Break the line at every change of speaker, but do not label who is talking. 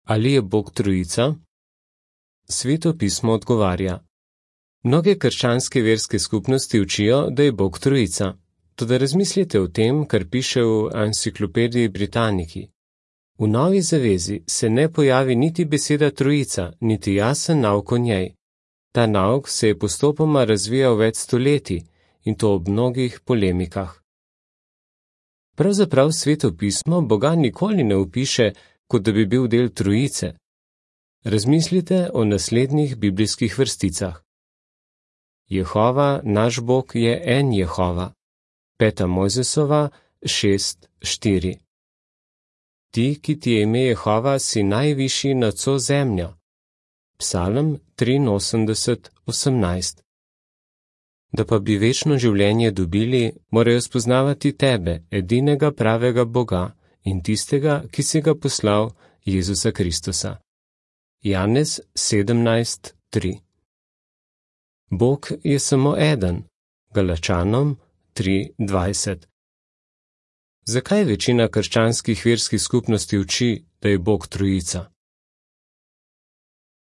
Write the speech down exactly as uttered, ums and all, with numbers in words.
Ali je Bog trojica? Sveto pismo odgovarja. Mnoge krščanske verske skupnosti učijo, da je Bog trojica. Toda razmislite o tem, kar piše v Enciklopediji Britannici. V Novi zavezi se ne pojavi niti beseda trojica, niti jasen nauk o njej. Ta nauk se je postopoma razvijal več stoletij in to ob mnogih polemikah. Pravzaprav Sveto pismo Boga nikoli ne opiše, kot da bi bil del trojice. Razmislite o naslednjih biblijskih vrsticah. Jehova, naš Bog, je en Jehova. Peta Mojzesova šest štiri. Ti, ki ti je ime Jehova, si najvišji nad vso zemljo. Psalm triinosemdeset osemnajst. Da pa bi večno življenje dobili, morajo spoznavati tebe, edinega pravega Boga in tistega, ki si ga poslal, Jezusa Kristusa. Janez sedemnajst tri. Bog je samo eden. Galačanom tri dvajset. Zakaj večina krščanskih verskih skupnosti uči, da je Bog trojica?